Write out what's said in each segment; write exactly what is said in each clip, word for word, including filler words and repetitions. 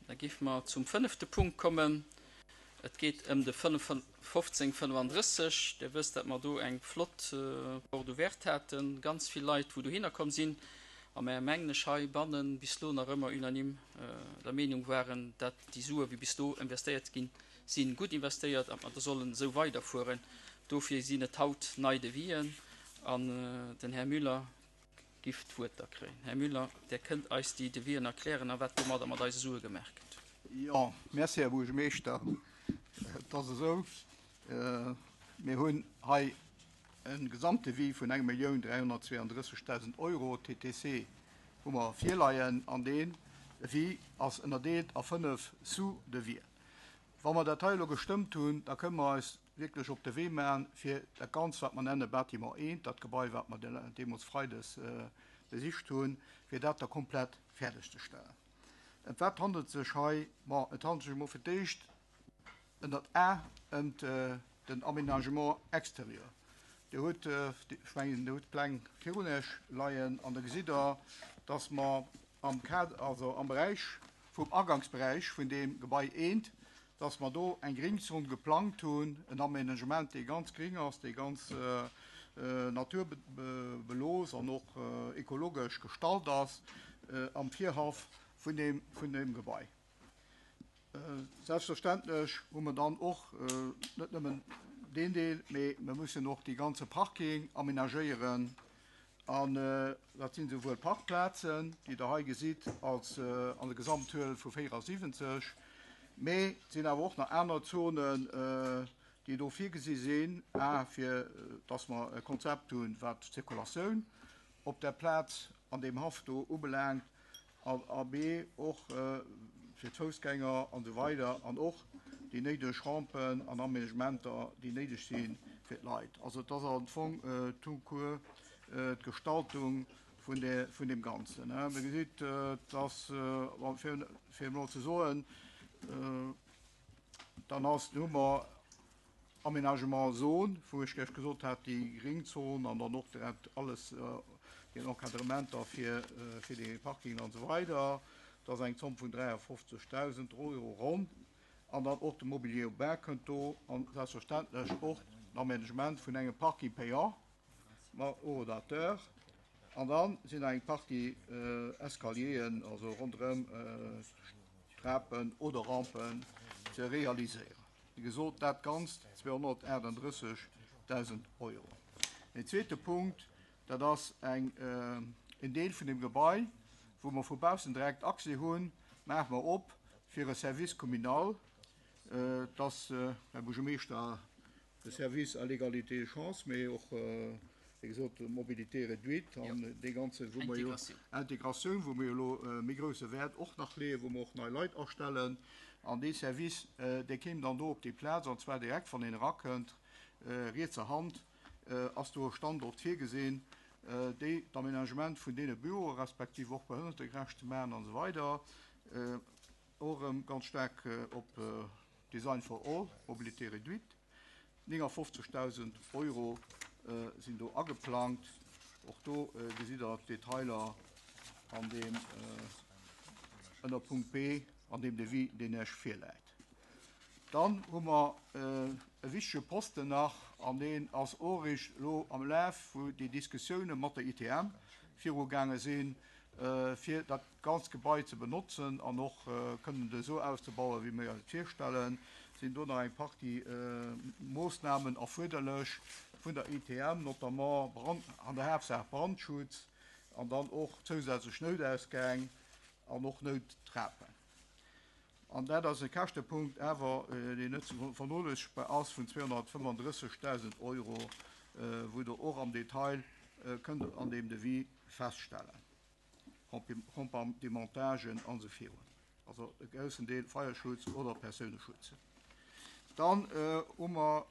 Da géife mer zum fënnefte Punkt kommen. Et geet ëm de fofzéng fënnefandrësseg. Dir wësst, datt mer do eng flott Porte ouverte haten, ganz vill Leit, wou dohinner komm sinn. A mer, mengen ech, heibannen bis elo nach ëmmer unanime der Meenung waren, datt déi Sue, wéi bis do investéiert ginn sinn, gutt investéiert an mer da sollen esou weiderfueren. Dofir sinn et haut nei Devisen an den Här Müller giff d'Wuert da kréien. Här Müller, Där kënnt eis déi Devisen erklären a wat domadder mat eise Sue gemaach gëtt. Jo, merci, Här Buergermeeschter. Et ass esou, mir hunn hei e Gesamtdevis vun eng Millioun dräihonnertzweeandrëssegdausend Euro T T C hu mer virleien, an deen Devis ass ënnerdeelt a fënnef Sous-devis'en. Wa mer dat hei elo gestëmmt hunn, da kënne mer eis wierklech op de Wee maachen, fir dat Ganzt, wat mer nenne Bâtiment eent, dat Gebai, wat mer deemools freides besicht hunn, fir dat da komplett fäerdegzestellen. Ëm wat handelt sech hei? Bon, et handelt sech emol fir d'éischt ënnert A ëm den Aménagement extérieur. Dir hutt, ech mengen, Dir hutt d'Pläng virun Iech leien an da gesitt Der, dass mer am Kader, also am Beräich vum Agangsberäich vun deem Gebai eent, dass mer do eng Gringzon geplangt hunn, en Aménagement, dee ganz gring ass, dee ganz naturbelooss an och ekologesch gestalt ass am Virhaff vun deem, vun deem Gebai. Selbstverständlech hu mer dann och net nëmmen deen Deel, mee mer mussen och dee ganze Parking amenagéieren. An dat sinn esouwuel Parkplazen, déi Der hei gesitt, als an der Gesamtzuel vu véierasiwwenzeg, mee et sinn awer och nach aner Zonen, déi do virgesi sinn, a fir dass mer e Konzept hunn, wat d'Zirkulatioun op der Plaz an deem Haff do ubelaangt, a b och fir d'Foussgänger an esou weider an och déi néideg Rampen an Aménagementer, déi néideg si fir d'Leit. Also et ass am Fong tout court d'Gestaltung vun der, vun deem Ganzen. Dir gesitt, dass, fir, fir emol ze soen, dann ass, hu mer Aménagement Zone, wou ech gleich gesot hat, déi Gringzon an dann och direkt alles, den Encadrementer fir, fir de Parking an esou weider. Dat ass eng Zomm vun dräiafofzegdausend Euro ronn. An dann och de Mobilier urbain kënnt do an selbstverständlech och l'Aménagement vun engem Parking payant mat Horodateur. An dann sinn eng Partie Escalieren, also ronderëm Trapen oder Rampen ze realiséieren. Wéi gesot, dat Ganzt zweehonnertaachtanddrëssegdausend Euro. Den zweete Punkt, dat ass eng, en Deel vun dem Gebai, wou mer vu baussen direkt Accès hunn, maache mer op fir e Service communal. Dass, Här Buergermeeschter, de Service à l'égalité des chances, mee och, wéi gesot, Mobilité réduite an dee ganze, wou mer jo Integratioun, wou mer jo elo méi grousse Wäert och nach leeën, wou mer och nei Leit astellen. An dee Service, dee kéim dann do op déi Plaz, an zwar direkt, wann een erakënnt, rietser Hand ass do e Standort virgesinn, déi d'Aménagement vun deene Büroe respektiv och behënnertegerecht ze maachen an esou weider. Och erëm ganz staark op Design for all, Mobilité réduite. néngafofzegdausend Euro sinn do ageplangt. Och do gesitt Der d'Detailer an deem ënner Punkt B an deem Devis, deen Iech virläit. Dann hu mer e wichtege Posten nach, an deen ass och eréischt elo am Laf, wou déi Diskussioune mat der I T M virugaange sinn, fir dat ganzt Gebai ze benotzen an och kënnen et esou auszebauen, wéi mir eis et virstellen, sinn do nach eng Partie Moossnamen erfuerderlech vun der I T M, notamment Brand, an der Haaptsaach Brandschutz an dann och zousätzlech Noutausgäng an och Nouttrapen. An dat ass e Käschtepunkt awer, deen net ze vernoléissegbar ass, vun zweehonnertfënnefandrëssegdausend Euro, wou Der och am Detail kënnt an deem Devis feststellen. Compartimentagen an esou virun. Also e groussen Deel Feierschutz oder Persouneschutz. Dann hu mer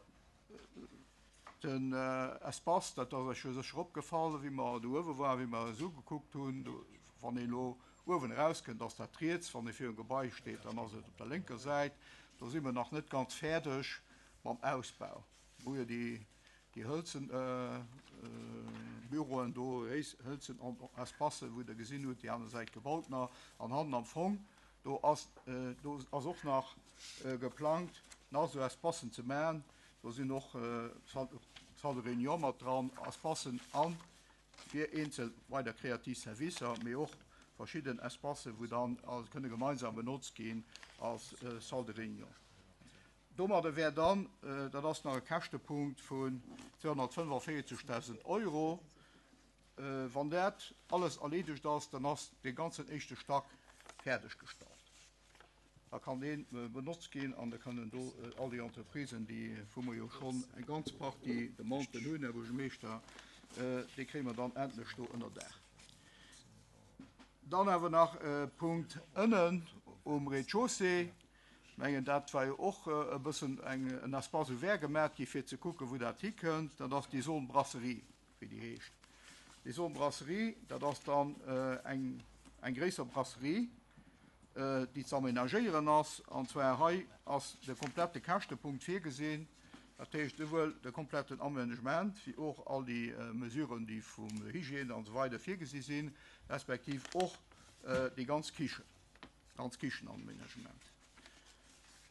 den Espace, dat ass Iech jo sécher opgefall, wéi mer do uewe waren, wéi mer esou gekuckt hunn, wann een elo uewen erauskënnt, ass dat riets, wann ee virum Gebai steet, dann ass et op der lénker Säit. Do si mer nach net ganz fäerdeg mam Ausbau. Wou jo déi déi hëlzen Büroen do, hëlzen Espacen, wou Der gesinn hutt, déi aner Säit gebaut nach. An hannen am Fong Do ass, do ass och nach geplangt, nach esou Espacen ze maachen. Do sinn och Salle de réunion mat dran, Espacen a fir eenzel weider kreativ Servicer, mee och verschidden Espacen, wou dann kënne gemeinsam benotzt ginn als Salle de réunion. Domadder wär dann, dat ass nach e Käschtepunkt vun zweehonnertfënnefenvéierzegdausend Euro, wann dat alles erleedegt ass, dann ass dee ganzen éischte Stack fäerdeggestallt. Da kann dee benotzt ginn an da kënnen do all déi Entreprisen, déi, wou mer jo schonn eng ganz Partie Demanden hunn, Här Buergermeeschter, déi kréie mer dann endlech do ënner Daach. Dann awer nach e Punkt ënnen um Rez-de-chaussée. Ech mengen, dat war jo och e bëssen eng, en Espace ouvert gemaach gi fir ze kucken, wou dat hikënnt. Dat ass déi Zone Brasserie, wéi déi heescht. Déi Zone Brasserie, dat ass dann eng, eng gréisser Brasserie, déi ze amenagéieren ass. An zwar hei ass de komplette Käschtepunkt virgesinn, dat heescht souwuel de kompletten Amenagement wéi och all déi Mesuren, déi vum Hygiène an esou weider virgesi sinn, respektiv och déi ganz Kichen, ganz Kichenamenagement.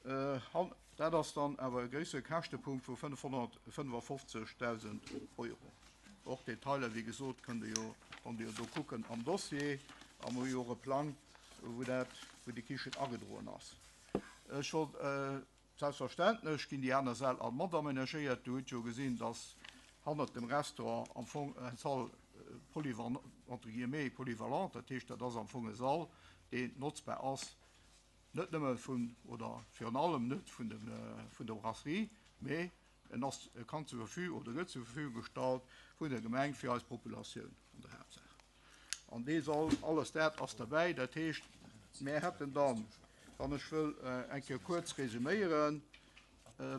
Dat ass dann awer e gréissere Käschtepunkt vu fënnefhonnertfënnefofzegdausend Euro. Och Detailer, wéi gesot, kënnt Dir jo, konnt Dir jo do kucken am Dossier. A mer hu jo och e Plang, wou dat, wou déi Kichen agedroen ass. Ech wollt, selbstverständlech ginn déi aner Säll all mat amenagéiert. Dir hutt jo gesinn, dass hannert dem Restaurant am Fong eng Salle polyvalent, entre guillemets polyvalente, dat heescht, dat ass am Fong e Sall, deen notzbar ass, net nëmme vun, oder virun allem net vun dem, vun der Brasserie, mee en ass, e kann zur Verfügung oder gëtt zur Verfügung gestallt vun der Gemeng fir eis Populatioun an der Haaptsaach. An dee Sall, alles dat ass derbäi. Dat heescht, mir hätten dann, wann ech wëll eng Kéier kuerz resuméieren,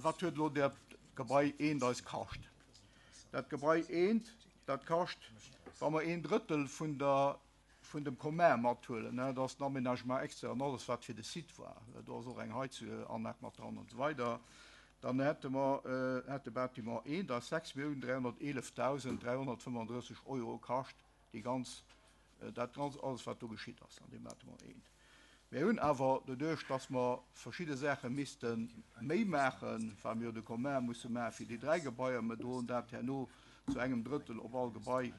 wat huet elo dat Gebai eent eis kascht? Dat Gebai eent, dat kascht, wa mer een Drëttel vun der, vun dem Commun mathuelen, dat ass den Aménagement extérieur an alles, wat fir de Site war, do ass och eng Heizanlag mat dran an esou weider, dann hätte mer, hätt de Bâtiment eent eis sechs Milliounen dräihonnerteelefdausend dräihonnertfënnefandrësseg Euro kascht, déi ganz, dat ganz, alles wat do geschitt ass an deem Bâtiment eent. Mir hunn awer doduerch, dass mer verschidde Saache misste méi maachen, well mir jo de Commun musse maache fir déi dräi Gebaier, mer droen dat herno zu engem Drëttel op all Gebai,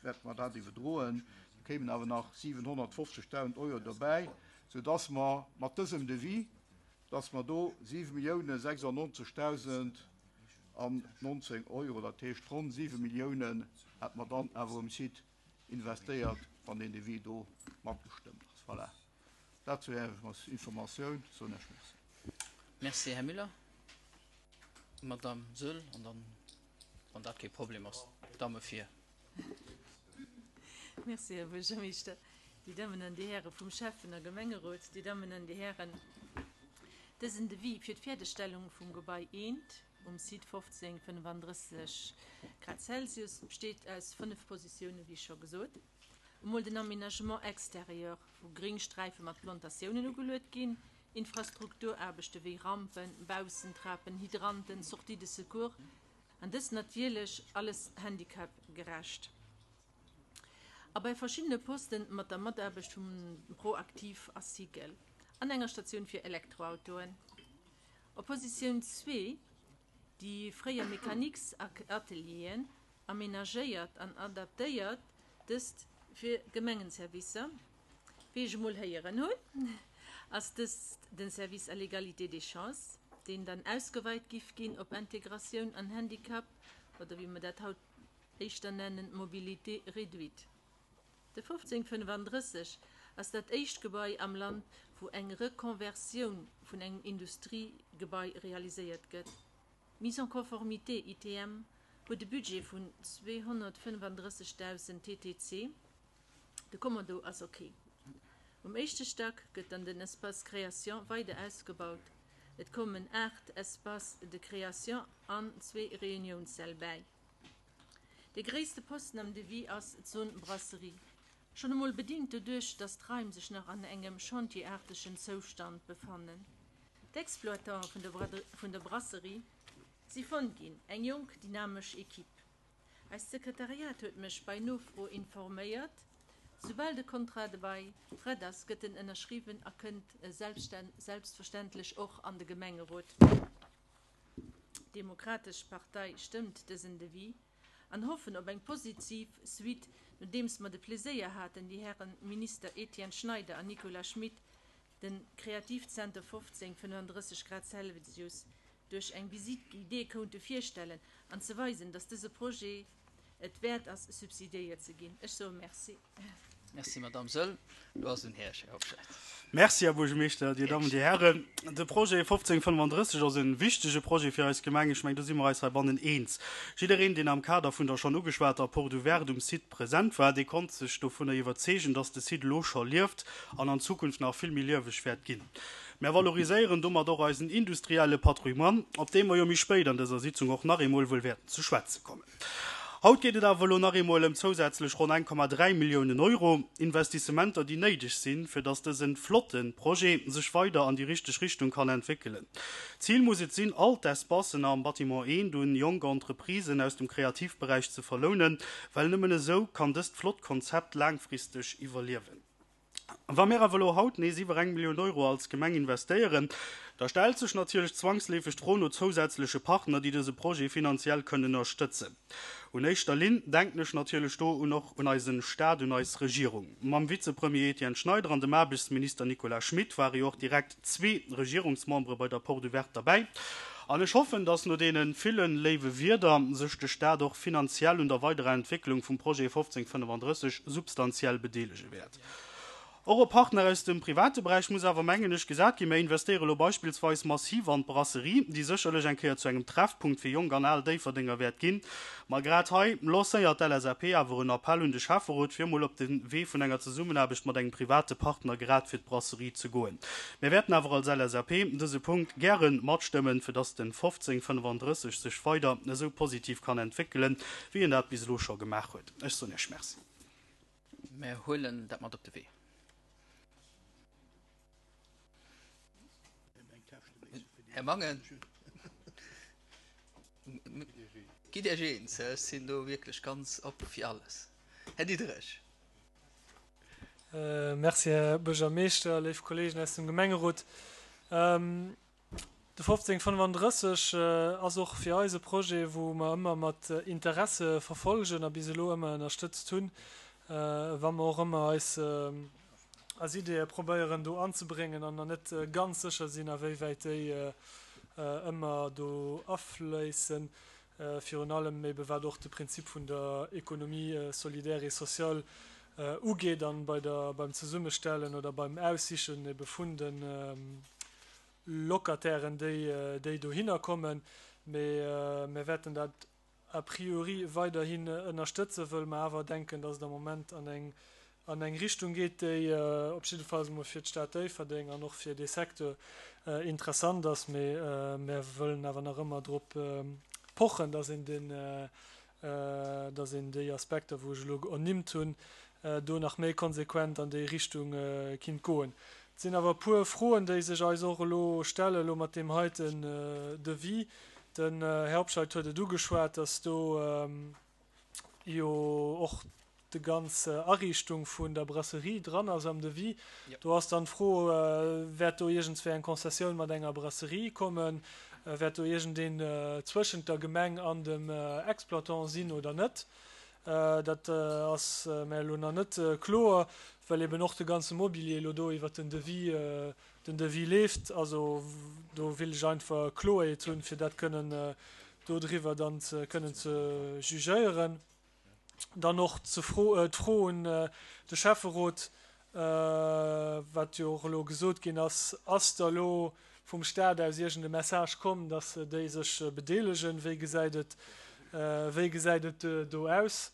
wäerte mer dat iwwerdroen, do kéimen awer nach siwenhonnertfofzegdausend Euro dobäi, soudass mer mat dësem Devis, dass mer do siwe Milliounen sechsundneunzegdausend an nonzéng Euro, dat heescht ronn siwe Milliounen, hätte mer dann awer um Site investéiert, wann deen Devis do matgestëmmt ass. Voilà. Dat zu Ärer Informatioun. Soen ech Merci. Merci, Här Müller. Madame Söll, an dann, wann dat kee Problem ass, d'Damme vir. Merci, Här Buergermeeschter. Déi Dammen an déi Häre vum Schäffen a Gemengerot, déi Dammen an déi Hären, dësen Devis fir d'Fäerdegstellung vum Gebai eent um Site fofzéng fënnefandrësseg Grad Celsius besteet aus fënnef Positiounen, wéi scho gesot. Emol den Aménagement extérieur, wou Gringsträife mat Plantatiounen ugeluet ginn, Infrastrukturaarbechte wéi Rampen, Baussentrapen, Hydranten, Sortie de secours, an dës natierlech alles handicapgerecht. A bei verschiddene Posten mat der Mataarbecht vum Proactif a Cycle an enger Statioun fir Elektroautoen. Op Positioun zwee, déi fréier Mécaniques-Atelieren, amenagéiert an adaptéiert, dëst fir Gemengenservicer. Wéi ech emol héieren hunn, ass dëst den Service à l'égalité des chances, deen dann ausgeweit giff ginn op Integratioun an Handicap, oder wéi mer dat haut éischter nennen, Mobilité réduite. De fofzéng fënnefandrësseg ass dat éischt Gebai am Land, wou eng Rekonversioun vun engem Industriegebai realiséiert gëtt. Mise en conformité I T M huet e Budget vun zweehonnertfënnefandrëssegdausend T T C. De Kommando ass okay. Um éischte Stack gëtt dann den Espace Création weider ausgebaut. Et kommen aacht Espaces de création an zwee Réunionssäll bäi. De gréisste Posten am Devis ass d'Zone Brasserie. Schonn emol bedingt doduerch, dass d'Raim sech nach an engem chantierartegen Zoustand befannen. D'Exploitant vun der Bra-, vun der Brasserie si fonnt ginn, eng jonk, dynamesch Equipe. Eist Sekretariat huet mech bei Nofro informéiert, Soubal de Contrat de bail prett ass, gëtt en ënnerschriwwen a kënnt selbstverständlech och an de Gemengerot. D'Demokratesch Partei stëmmt dësen Devis an hoffen op eng positiv Suite, nodeems mer de Pleséier haten, déi Häre Minister Etienne Schneider an Nicolas Schmit de Kreativzenter fofzéng fënnenddrësseg Grad Celsius duerch eng Visite guidée konnte virstellen an ze weisen, dass dëse Projet et wäert ass, subsidiéiert ze ginn. Ech soe Merci. Merci, Madamm Söll. Elo ass un Här Hobscheit. Merci, Här Buergermeeschter, Dir Dammen, Dir Hären. De Projet fofzéng fënnenddrësseg ass e wichtege Projet fir eis Gemeng. Ech mengen, do si mer eis heibannen eens. Jiddereen, deen am Kader vun der schonn ugeschwater Porte ouverte um Site present war, dee konnt sech dovunner iwwerzeegen, dass de Site elo scho lieft an an Zukunft nach vill méi lieweg wäert ginn. Mär valoriséieren domat och eisen industrielle Patrimoine, op dee mer jo méi spéit an dëser Sitzung och nach eemol wuel wäerten ze schwätze kommen. Haut geet et awer elo nach eemol ëm zousätzlech ronn eng Komma dräi Milliounen Euro, Investissementer, déi néideg sinn, fir datt dëse flotte Projet sech weider an déi richteg Richtung kann entwéckelen. Zil muss et sinn, all d'Espacen am Bâtiment eent un jonk Entreprisen aus dem Kreativberäich ze verlounen, well nëmmen esou kann dëst flott Konzept laangfristeg iwwerliewen. Wa mir awer elo haut nees iwwer eng Millioun Euro als Gemeng investéieren, da stellt sech natierlech zwangsleefeg d'Fro no zousätzleche Partner, déi dëse Projet finanziell kënnen ënnerstëtzen. Un éischter Linn denken ech natierlech do un och un eise Staat, un eis Regierung. Mam Vizepremier Etienne Schneider an dem Aarbechtsminister Nicolas Schmit ware jo och direkt zwee Regierungsmembere bei der Porte ouverte derbäi. An ech hoffen, dass no deene ville léiwe Wierder sech de Staat och finanziell un der weiderer Entwécklung vum Projet fofzéng fënnenddrësseg substantiell bedeelege wäert. Och op Partner aus dem private Beräich muss awer, mengen ech, gesat ginn. Mir investéiere elo beispillsweis massiv an d'Brasserie, déi sécherlech eng Kéier zu engem Treffpunkt fir Jonk an Al Déifferdenger wäert ginn. Ma grad hei lancéiert d'LSAP awer en Appell un de Schäfferot, fir emol op de Wee vun enger Zesummenaarbecht mat engem private Partner grad fir d'Brasserie ze goen. Mir wäerten awer als LSAP dëse Punkt gäre matstëmmen, fir dass de fofzéng fënnenddrësseg sech weider esou positiv kann entwéckelen, wéi en dat bis elo scho gemaach huet. Ech soen Iech Merci. Mir huelen dat mat op de Wee. Här Mangen, gitt Iech eens, ech sinn do wierklech ganz op fir alles. Här Diderich. Merci, Här Buergermeeschter, léif Kolleegen aus dem Gemengerot. De fofzéng fënnenddrësseg ass och fir eis e Projet, wou mer ëmmer mat Interesse verfolgen a bis elo ëmmer ënnerstëtzt hunn, wa mer och ëmmer eis eis Ideeë probéieren do anzebréngen an nach net ganz sécher sinn, awéiwäit déi ëmmer do afléissen, virun allem ebe wat och de Prinzip vun der Économie solidaire et sociale ugeet an bei der, beim Zesummestellen oder beim Aussichen ebe vun de Locatairen, déi, déi dohinner kommen. Mee mir wäerten dat a priori weiderhin ënnerstëtzen, wëll mer awer denken, dass et am Moment an eng an eng Richtung geet, déi op jiddefalls emol fir d'Stad Déifferdeng an och fir dee Secteur interessant ass. Mee mir wëllen awer nach ëmmer drop pochen, dass een den, dass een déi Aspekter, wou ech elo ernimmt hunn, do nach méi konsequent an déi Richtung kinnt goen. Et sinn awer e puer Froen, déi sech eis och elo stellen, elo mat deem heiten Devis. Den Här Hobscheit huet et ugeschwat, dass do jo och de ganz Ariichtung vun der Brasserie dran ass am Devis. Do ass dann d'Fro, Wäert do iergendswéi eng Concessioun mat enger Brasserie kommen? Wäert do iergendeen zwëschent der Gemeng an dem Exploitant sinn oder net? Dat ass mär elo nach net kloer, well eben och de ganze Mobilier elo do iwwert den Devis, den Devis leeft. Also do will ech einfach Kloerheet hunn, fir dat kënnen dodriwwer dann ze kënnen ze jugéieren. Dann och d'Fro un de Schäfferot, wat jo och elo gesot ginn ass, Ass da elo vum Staat aus iergend e Message komm, datt déi sech bedeelegen? Wéi gesäit et, wéi gesäit et do aus?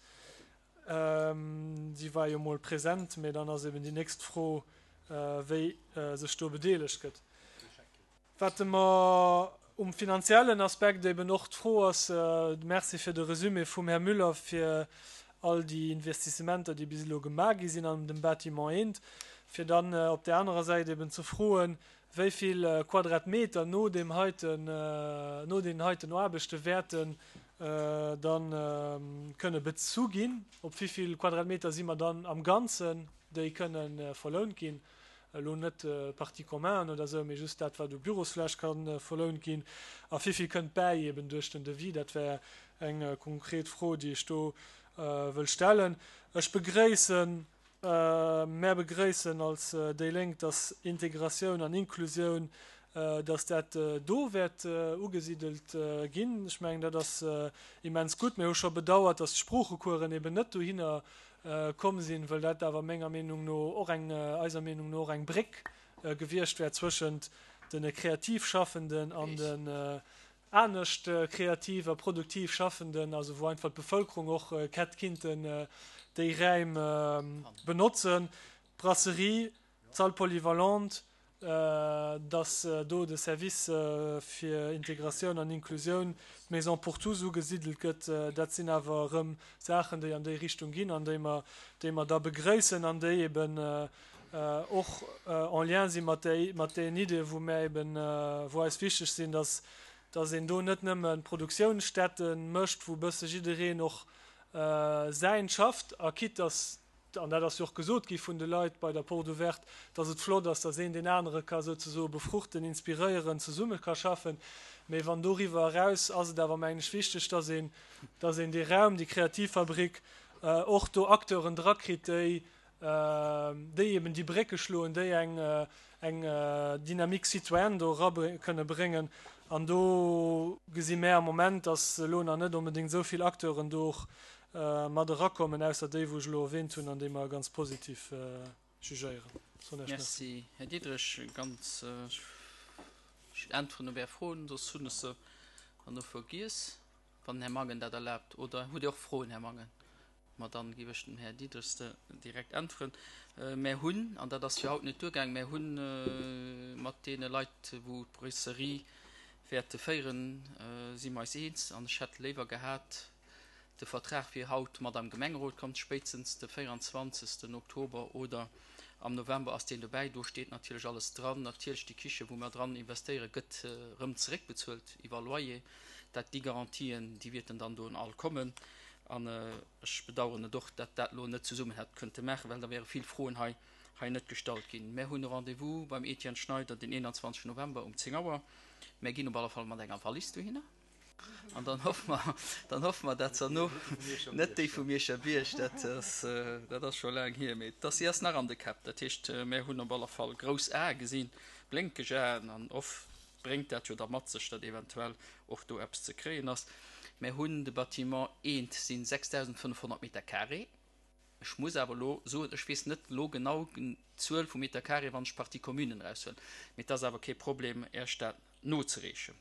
Si war jo mol present, mä dann ass eben déi nächst Fro, wéi sech do bedeelegt gëtt. Wat mer um finanziellen Aspekt eben och d'Fro ass, Merci fir de Resumé vum Här Müller fir all déi Investissementer, déi bis elo gemaach gi sinn an dem Bâtiment eent, fir dann op där anerer Säit eben ze froen, wéi vill Quadratmeter no deem heiten, no deenen heiten Aarbechte wäerten dann kënne bezu ginn. Op wéi vill Quadratmeter si mer dann am Ganzen, déi kënne verlount ginn? Elo net Partie communen oder esou, mee just dat, wat u Bürosfläch ka verlount ginn. A wéi vill kënnt bäi eben duerch den Devis? Dat wär eng konkret Fro, déi ech do wëll stellen. Ech begréissen, mär begréissen als déi Lénk, dass Integratioun an Inklusioun, dass dat do wäert ugesidelt ginn. Ech mengen, dat ass immens gutt. Mir hu scho bedauert, dass d'Sproochecoursen eben net dohinner komm sinn, wëll dat awer menger Meenung no och eng, eiser Meenung no och eng Bréck gewiescht wär zwëschent de kreativ Schaffenden an den anescht kreativ a produktiv Schaffenden, also wou einfach d'Bevölkerung och hätt kinnten déi Räim benotzen. D'Brasserie, d'Salle polyvalente, dass do de Service fir Integratioun an Inklusioun, d'Maison pour tous ugesidelt gëtt, dat sinn awer erëm Saachen, déi an déi Richtung ginn an déi mer, déi mer da begréissen an déi eben och en lien si mat déi, mat deenen Ideeën, wou mär eben, wou eis wichteg sinn, dass, dass een do net nëmme Produktiounsstätte mécht, wou e bësse jiddereen och säint schafft a quitte dass, an dat ass jo och gesot gi vun de Leit bei der Porte ouverte, dass et flott ass, dass een deen anere ka souzesoe befruchten, inspiréieren, zesumme ka schaffen. Mee wann doriwwer eraus ass et awer, mengen ech, wichteg, dass een, dass een dee Raum, déi Kreativfabrik, och do Acteuren drakritt, déi, déi eben déi Brécke schloen, déi eng, eng Dynamique citoyenne do era kënne bréngen. An do gesi mär am Moment, dass elo nach net onbedéngt esou vill Acteuren do och mat erakommen, ausser déi, wou ech elo erwähnt hunn an déi mer ganz positiv jugéieren. Soen Iech Merci. Merci, Här Diderich. Ganz, ech äntweren op Är Froen, soss hunn ech se herno vergiess, wann den Här Mangen dat erlaabt. Oder hutt Dir och Froen, Här Mangen? Ma dann géif ech dem Här Diderich se direkt äntweren. Mär hunn, an dat ass fir haut net duergaang, mär hunn mat deene Leit, wou d'Brasserie wäerte féieren, si mer eis eens. An ech hätt léiwer gehat, de Vertrag wier haut mat am Gemengerot kommt, spéitstens de véieranzwanzegsten Oktober oder am November ass deen dobäi. Do steet natierlech alles dran. Natierlech déi Kiche wou mer dran investéieren, gëtt erëm zeréckbezuelt iwwer Loyer. Dat déi Garantien, déi wierten dann do all kommen. An ech bedauern et och, dat dat elo net zesummen hätt kënnte maachen, well da wäre vill Froen hei hei net gestallt ginn. Mär hunn e Rendez-vous beim Etienne Schneider den eenanzwanzegsten November um zéng Auer. Mär ginn op alle Fall mat enger Wallis dohinner. An dann hoffe mer, dann hoffe mer, dat se no net déi vum Mierscher Bierg, dat ass, dat ass scho laang hier, mee dass si ass nach an de Käpp. Dat heescht, mär hunn op alle Fall grouss Ae gesinn, blénkeg Aen, an oft bréngt dat jo da mat sech, datt eventuell och do eppes ze kréien ass. Mär hunn de Bâtiment eent sinn sechstausendfënnefhonnert Meter carré. Ech muss awer elo soen, ech weess net elo genau d'Zuel vu Meter carré, wann ech d'Partie communen eraushuelen, mee et ass awer kee Problem, Iech dat nozereechen.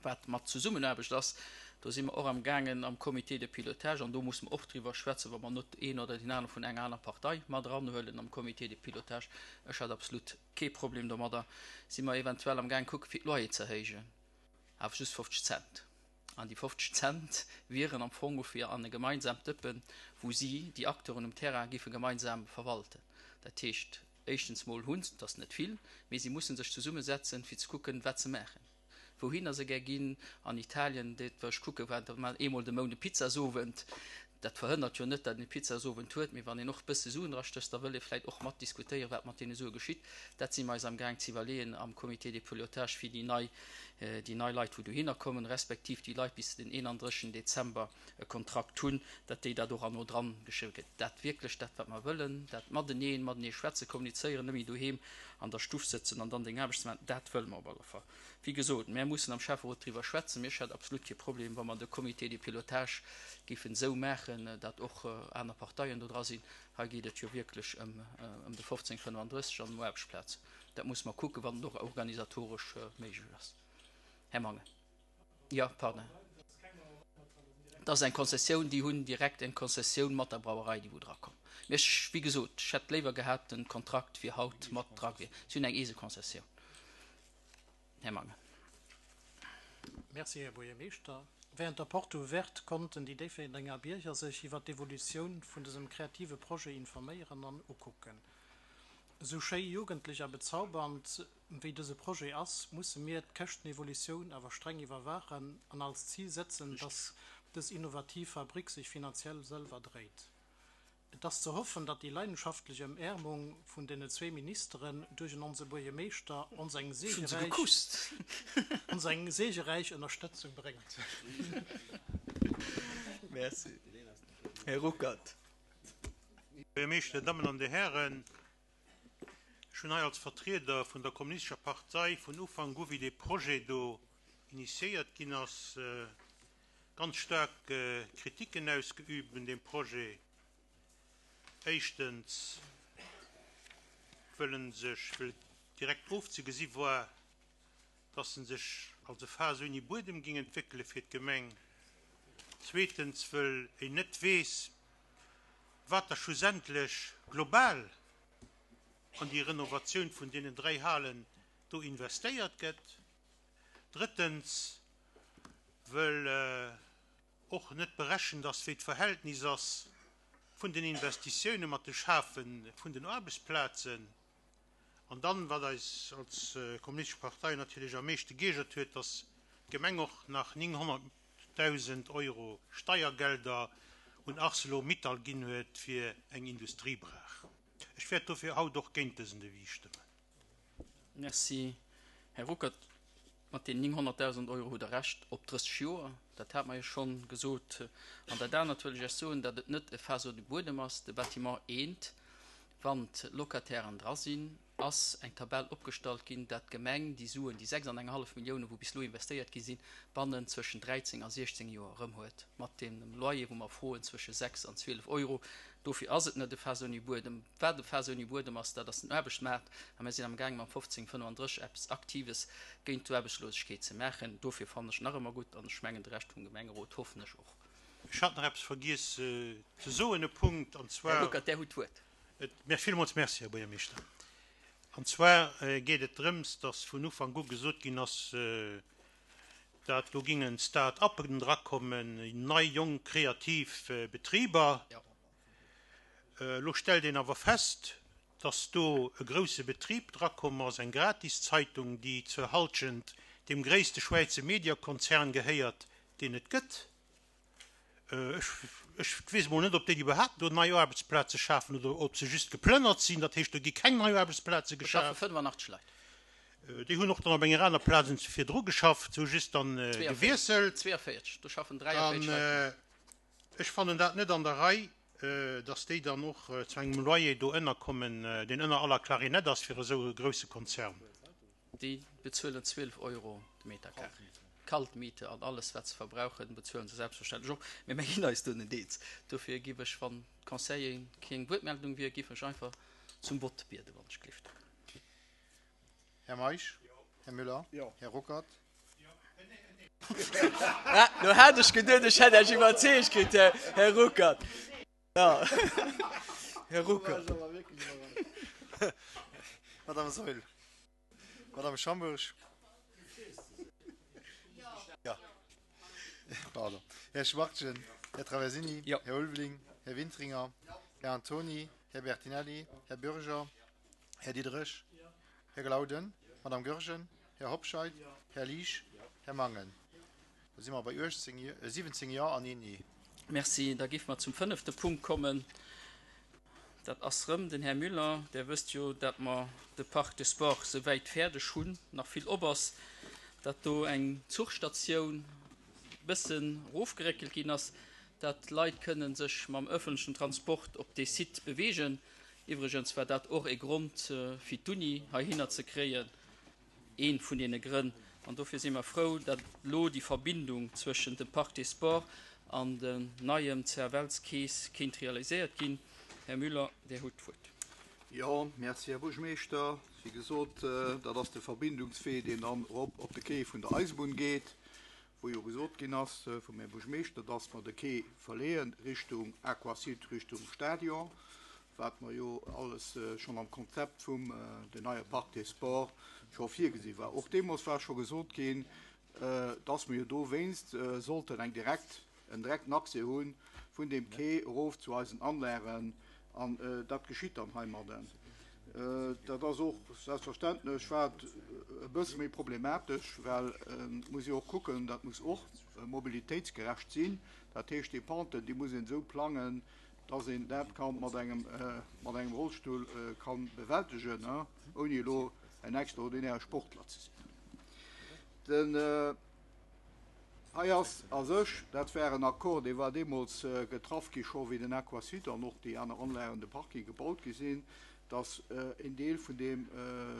Wat mat Zesummenaarbecht ass, do si mer och am gaangen am Comité de pilotage, an do musse mer och driwwer schwätzen, wa mer net een oder deen anere vun enger aner Partei mat eranhuelen am Comité de pilotage. Ech hätt absolut kee Problem domadder. Si mer eventuell am gaang kucke fir d'Loyer ze erhéijen, awer just fofzeg Cent. An déi fofzeg Cent wieren am Fong fir an e gemeinsaamt Dëppen, wou si, déi Acteuren um Terrain, géife gemeinsam verwalten. Dat heescht, éischtens mol hunn se, dat ass net vill, mee si musse sech zesummesetzen, fir ze kucken, wat se maachen. Wouhinner se gär ginn, an Italien, dat war ech kucke war, da man eemol de Mount e Pizzasowend. Dat verhënnert jo net, datt een e Pizzasowend huet, mee wann een och e bësse Suen drastécht, da wëll ee vläicht och mat diskutéieren, wat mat deene Sue geschitt. Dat si mer eis amgaang ze iwwerleeën am Comité de pilotage fir déi nei, déi nei Leit, wou dohinner kommen, respektiv déi Leit bis den eenanddrëssigsten Dezember e Kontrakt hunn, datt déi dat och herno dran geschriwwe kritt. Dat wierklech dat, wat mer wëllen, dat mateneen, matenee schwätzen, kommunizéieren, net méi doheem an der Stuff sëtzen an dann deng Aarbecht ze maachen, dat wëlle mer op alle Fall. Wéi gesot, mär mussen am Schäfferot driwwer schwätzen. Mee ech hätt absolut kee Problem, wa mer de Comité de pilotage géifen esou maachen, datt och aner Parteien do dra sinn. Hei geet et jo wierklech ëm de fofzéng fënnefandrësseg an ëm Aarbechtsplazen. Dat musse mer kucken, wann et och organisatoresch méiglech ass. Här Mangen. Jo, pardon. Dat ass eng Konzessioun, déi hunn direkt eng Konzessioun mat der Brauerei, déi wou drakomm. Mee ech, wéi gesot, ech hätt léiwer gehat, den Kontrakt wier haut mat dra gewiescht. Si hunn eng eese Konzessioun. Här Mangen. Merci, Här Buergermeeschter. Während der Porte ouverte konnten déi Déifferdenger Bierger sech iwwer d'Evolutioun vun dësem kreative Projet informéieren an ukucken. Esou schéi jugendlech a bezaubernd wéi dëse Projet ass, musse mir d'Käschtenevolutioun awer streng iwwerwaachen an als Zil setzen, dass dës innovativ Fabrik sech finanziell selwer dréit. Et ass ze hoffen, datt déi leidenschaftlech Ëmäermung vun deene zwee Ministeren duerch en onse Buergermeeschter ons eng Ech hunn se seegeräich gekusst. ons eng seegeräich Ënnerstëtzung bréngt. Merci. Här Ruckert. Buergermeeschter, Dir Dammen an Dir Hären, ech hunn hei als Vertrieder vun der Kommunistescher Partei vun Ufank u, wéi dee Projet do initiéiert ginn ass, ganz staark Kritiken ausgeübt un deem Projet. Éischtens, wëll en sech, wëll et direkt ofzegesi war, dass en sech als e Faass ouni Buedem ging entwéckele fir d'Gemeng. Zweetens, wëll een net weess, wat da schlussendlech global an déi Renovatioun vun deenen dräi Halen do investéiert gëtt. Drëttens, wëll och net berechent ass, wéi d'Verhältnis ass vun den Investitioune mat de Schafe vun den Aarbechtsplazen. An dann, wat eis als Kommunistesch Partei natierlech am meeschte geiergert huet, dass d'Gemeng och nach nénghonnertdausend Euro Steiergelder un Arcelor-Mittal ginn huet fir eng Industriebrach. Ech wäert dofir haut och géint dësen Devis stëmmen. Merci, Här Ruckert. Mat den nénghonnertdausend Euro hutt Der Recht, op drësseg Joer, dat hat mer jo schonn gesot. An dat anert wëll ech Iech soen, datt et net e Faass ouni Buedem ass. De Bâtiment eent, wann d'Locatairen dra sinn, ass eng Tabell opgestallt ginn, dat d'Gemeng déi Suen, déi sechs an eng hallef Milliounen, wou bis elo investéiert gi sinn, bannen zwëschen dräizéng a siechzéng Joer erëm huet, mat deem Loyer, wou mer froen, zwësche sechs an zwielef Euro. Dofir ass et net e Faass ouni Buedem. Wat e Faass ouni Buedem ass, dat ass den Aarbechtsmaart. A mir sinn amgaangen, mam fofzéng fënnefandrësseg eppes Aktives géint d'Aarbechtslosegkeet ze maachen. Dofir fannen ech nach ëmmer gutt, an ech mengen, de Rescht vum Gemengerot hoffen ech och. Ech hat nach eppes vergiess ze soen, e Punkt, an Här zwar. Ruckert, Där hutt d'Wuert. Et, villmools Merci, Här Buergermeeschter. An zwar geet et drëms, dass vun Ufank u gesot ginn ass, dat do gingen Start-uppen drakommen, nei, jonk, kreativ Betriber. Elo stellt een awer fest, dass do e grousse Betrib drakomm ass, eng Gratiszeitung, déi zur Halschent deem gréisste Schwäizer Mediakonzern gehéiert, deen et gëtt. Ech, ech weess emol net, ob déi iwwerhaapt do nei Aarbechtsplaze schafen oder ob se just geplënnert sinn. Dat heescht, do gi keng nei Aarbechtsplaze Do schaffe geschaf. fënnefanachteg Leit. Déi hunn och dann op enger aner Plaz virdru geschafft, hu just dann gewiesselt. Zweeënvéierzeg, do schaffen dräiavéierzeg Leit. An ech fannen dat net an der Rei, dass déi dann och zu engem Loyer do ënnerkommen, deen ënner aller Klarinett ass fir esou e grousse Konzern. Déi bezuelen zwielef Euro de Metercarré. Kaltmiete an alles, wat se verbrauchen, bezuelen se selbstverständlech och. Mee mir ginn eis do net eens. Dofir giff ech, wann d'Conseilleren keng Wuertmeldung wier, giff ech einfach zum Vott bieden, wann ech gelift. Här Meisch? Här Müller? Här Ruckert? Ah, lo hat ech geduet, ech hätt Iech iwwerzeegt kritt, Här Ruckert. Ja. Här Ruckert. Madame Saeul. Madame Schambourg. Ja. Pardon. Här Schwachtgen, Här Traversini, Ja. Här Ulveling, Här Wintringer, Här Antoni, Här Bertinelli, Här Bürger, Här Diderich, Här Glauden, Madame Goergen, Här Hobscheit, Här Liesch, Här Mangen. Da si mer bei siwwenzéng Jo an een Nee. Merci. Da géife mer zum fënnefte Punkt kommen. Dat ass rëm den Här Müller. Der wësst jo, dat mer de Parc des Sports souwäit fäerdeg hunn, nach vill op ass, dat do eng Zuchstatioun bëssen erofgeréckelt ginn ass, dat d'Leit kënnen sech mam ëffentlechen Transport op dee Site beweegen. Iwwregens war dat och e Grond fir d'Uni heihinner ze kréien, ee vun deene Grënn. An dofir si mer frou, dat elo déi Verbindung zwëschen dem Parc des Sports an dem neiem C F L-Kees kéint realiséiert ginn. Här Müller, Dir hutt d'Wuert. Jo, merci, Här Buergermeeschter. Wéi gesot, dat ass de Verbindungswee, deen dann erop op de Quai vun der Eisebunn geet, wou jo gesot ginn ass vum Här Buergermeeschter, dass mer de Quai verleeën Richtung Aquasud, Richtung Stadion, wat mer jo alles schonn am Konzept vum den neie Parc des Sports scho virgesi war. Och deemools war scho gesot ginn, dass mer jo dowéinst sollten eng direkt, en direkten Accès hu vun deem Quai erof zu eisen Anlagen, an dat geschitt dann heimadden. Dat ass och selbstverständlech wat e bësse méi problematesch, well muss jo och kucken, dat muss och mobilitéitsgerecht sinn. Dat heescht, déi Pente, déi muss een esou plangen, dass een dat kann mat engem, mat engem Rollstull kann bewältegen, ouni elo en extraordinäre Sportler ze sinn. Den hei ass a sech, dat war en Accord, dee war deemools getraff gi scho wéi den Aquasud an och déi aner Anlagen, de Parking gebaut gi sinn, dass en Deel vun deem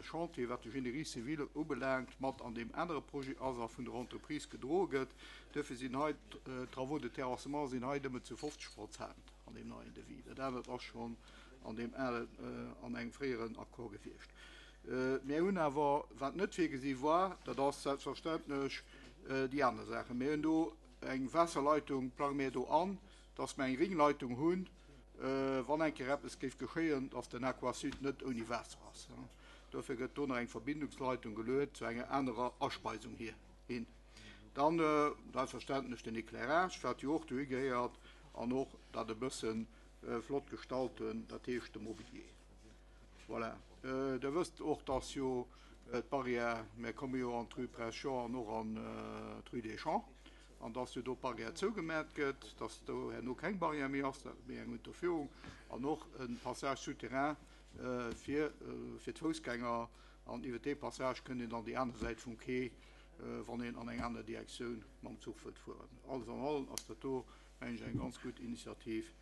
Chantier, wat de Génie civil ubelaangt, mat an deem anere Projet ass a vun der Entreprise gedroe gëtt. Duerfir sinn hei d'Travaux de terrassement sinn hei nëmmen zu fofzeg Prozent an deem neien Devis. Dat anert ass schonn an deem alen, an engem fréieren Accord gewiescht. Mir hunn awer, wat net virgesi war, dat ass selbstverständlech déi aner Saachen. Mir hunn do eng Waasserleitung, plange mir do an, dass mir eng Ringleitung hunn, wann eng Kéier eppes géif geschéien, dass den Aquasud net ouni Waasser ass. Dofir gëtt do nach eng Verbindungsleitung geluet zu enger anerer Aspeisung hier hin. Dann selbstverständlech den Éclairage, wat jo och dohi gehéiert, an och dat e bësse flott gestalten, dat heescht de Mobilier. Voilà. Der wësst och, dass jo d'Barrière, mir komme jo an d'Rue Prince Jean an och an d'Rue des Champs, an dass jo do d'Barrière zougemat gëtt, dass do herno keng Barrière méi ass, méi eng Unterführung an och en Passage souterrain fir fir d'Foussgänger, an iwwer dee Passage kënnt een dann déi aner Säit vum Quai, wann een an eng aner Direktioun mam Zuch wëllt fueren. Alles an allem ass dat do, mengen ech, eng ganz gutt Initiativ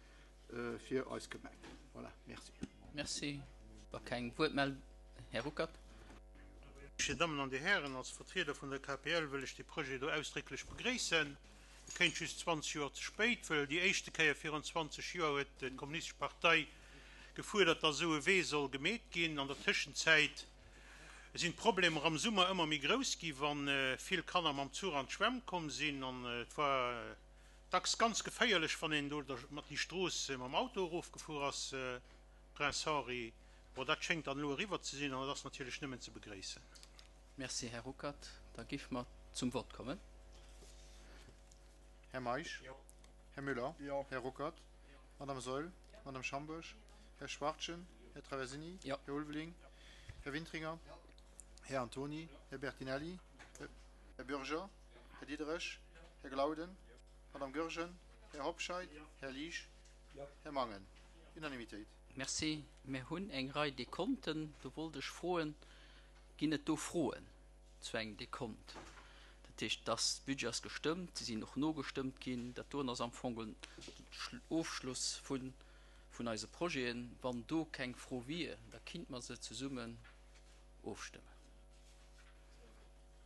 fir eis Gemeng. Voilà, merci. Merci. Wa keng Wuertmeldung, Här Ruckert. Dir Dammen an Dir Hären, als Vertrieder vun der K P L wëll ech de Projet do ausdrécklech begréissen. E kéint just zwanzeg Joer ze spéit, well déi éischte Kéier virun zwanzeg Joer huet d'Kommunistesch Partei gefuerdert, dass esou e Wee soll gemeet ginn. An der Tëschenzäit sinn d'Problemer am Summer ëmmer méi grouss gi, wann vill Kanner mam Zuch an d'Schwämm komm sinn. An et war dacks ganz geféierlech, wann een do mat déi Strooss mam Auto erofgefuer ass, Prince Henri. Bon, dat schéngt dann elo eriwwer ze sinn, an dat ass natierlech nëmmen ze begréissen. Merci, Här Ruckert. Da géife mer zum Wort kommen. Här Meisch? Jo. Här Müller? Jo. Här Ruckert? Madame Saeul? Madame Schambourg? Här Schwartjen? Här Traversini? Jo. Här Ulveling? Här Wintringer? Här Antoni? Här Bertinelli? Här Bürger? Här Diderich? Här Glauden? Madame Goergen? Här Hobscheit? Här Liesch? Här Mangen? Unanimitéit. Merci. Mir hunn eng Rei Dekonten. Do wollt ech froen, ginn et do Froen zu engem Dekont? Dat heescht, dass d'Budget ass gestëmmt, se sinn och nogestëmmt ginn. Dat doen ass am Fong den Ofschluss vun, vun eise Projeten. Wann do keng Fro wier, da kinnt mer se zesummen ofstëmmen.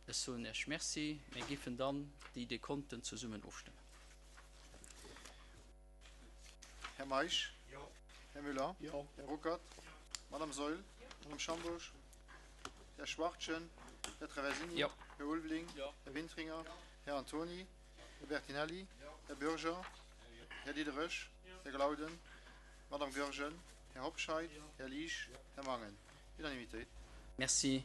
Ech soen Iech Merci. Mir giffen dann déi Dekonten zesummen ofstëmmen. Här Meisch? Jo. Här Müller? Jo. Här Ruckert? Madame Saeul? Madame Schambourg? Här Schwartjen? Här Traversini? Jo. Här Ulveling? Jo. Här Wintringer? Här Antoni? Här Bertinelli? Här Bürger? Här Diderich? Här Glauden? Madame Goergen? Här Hobscheit? Här Liesch? Här Mangen? Unanimitéit. Merci.